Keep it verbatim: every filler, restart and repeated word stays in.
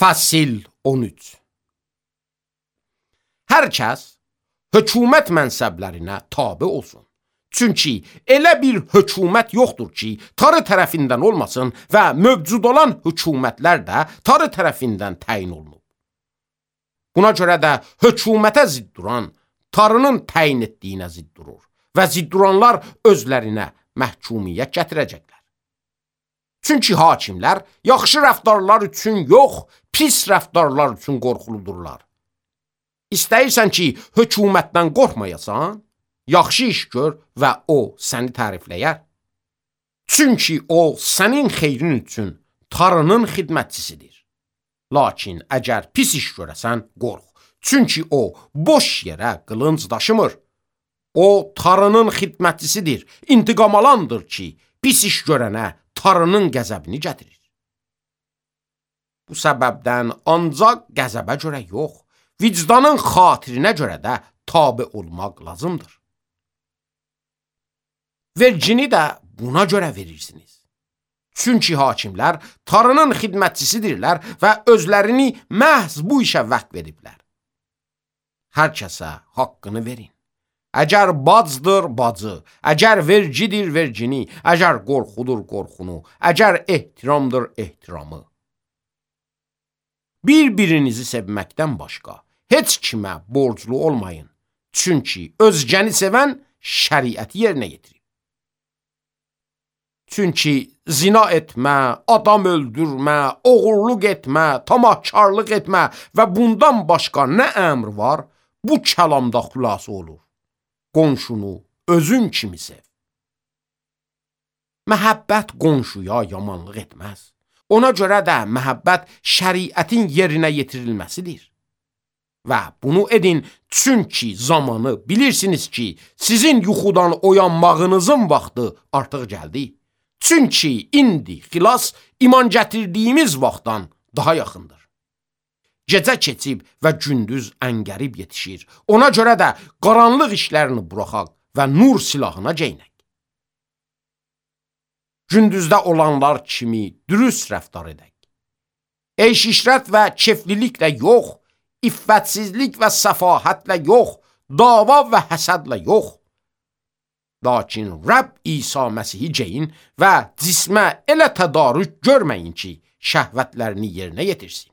Fəsil on üç. Hər kəs hökumət mənsəblərinə tabe olsun. Çünki elə bir hökumət yoxdur ki, tarı tərəfindən olmasın və mövcud olan hökumətlər də tarı tərəfindən təyin olunub. Buna görə də hökumətə zidd duran, tarının təyin etdiyinə zidd durur və zidd duranlar özlərinə məhkumiyyət gətirəcəklər. Çünki hakimlər yaxşı rəftarlar üçün yox, pis rəftarlar üçün qorxuludurlar. İstəyirsən ki, hökumətdən qorxmayasan, yaxşı iş gör və o səni tərifləyər. Çünki o sənin xeyrin üçün tarının xidmətçisidir. Lakin əgər pis iş görəsən, qorx. Çünki o boş yerə qılınc daşımır. O tarının xidmətçisidir, intiqam alandır ki, pis iş görənə tarının qəzəbini gətirir. Bu səbəbdən ancaq qəzəbə görə yox, vicdanın xatirinə görə də tabe olmaq lazımdır. Vergini də buna görə verirsiniz. Çünki hakimlər tarının xidmətçisidirlər və özlərini məhz bu işə vəqf ediblər. Hər kəsə haqqını verin. Əgər bacdır bacı, əgər vergidir vergini, əgər qorxudur qorxunu, əgər ehtiramdır ehtiramı. Bir-birinizi sevməkdən başqa heç kimə borclu olmayın. Çünki özgəni sevən şəriəti yerinə yetirir. Çünki zina etmə, adam öldürmə, oğurluq etmə, tamahkarlıq etmə və bundan başqa nə əmr var, bu kəlamda xülasə olur. Qonşunu özün kimi sev. Məhəbbət qonşuya yamanlıq etməz. Ona görə də məhəbbət şəriətin yerinə yetirilməsidir. Və bunu edin, çünki zamanı bilirsiniz ki, sizin yuxudan oyanmağınızın vaxtı artıq gəldi. Çünki indi xilas iman gətirdiyimiz vaxtdan daha yaxındır. Gecə keçib və gündüz əngərib yetişir. Ona görə də qaranlıq işlərini buraxaq və nur silahına geynək. Gündüzdə olanlar kimi dürüst rəftar edək. Eyş-işrət və kefliliklə yox, iffətsizlik və səfahətlə yox, dava və həsədlə yox. Lakin Rəbb İsa Məsihi geyin və cismə elə tədarük görməyin ki, şəhvətlərini yerinə yetirsin.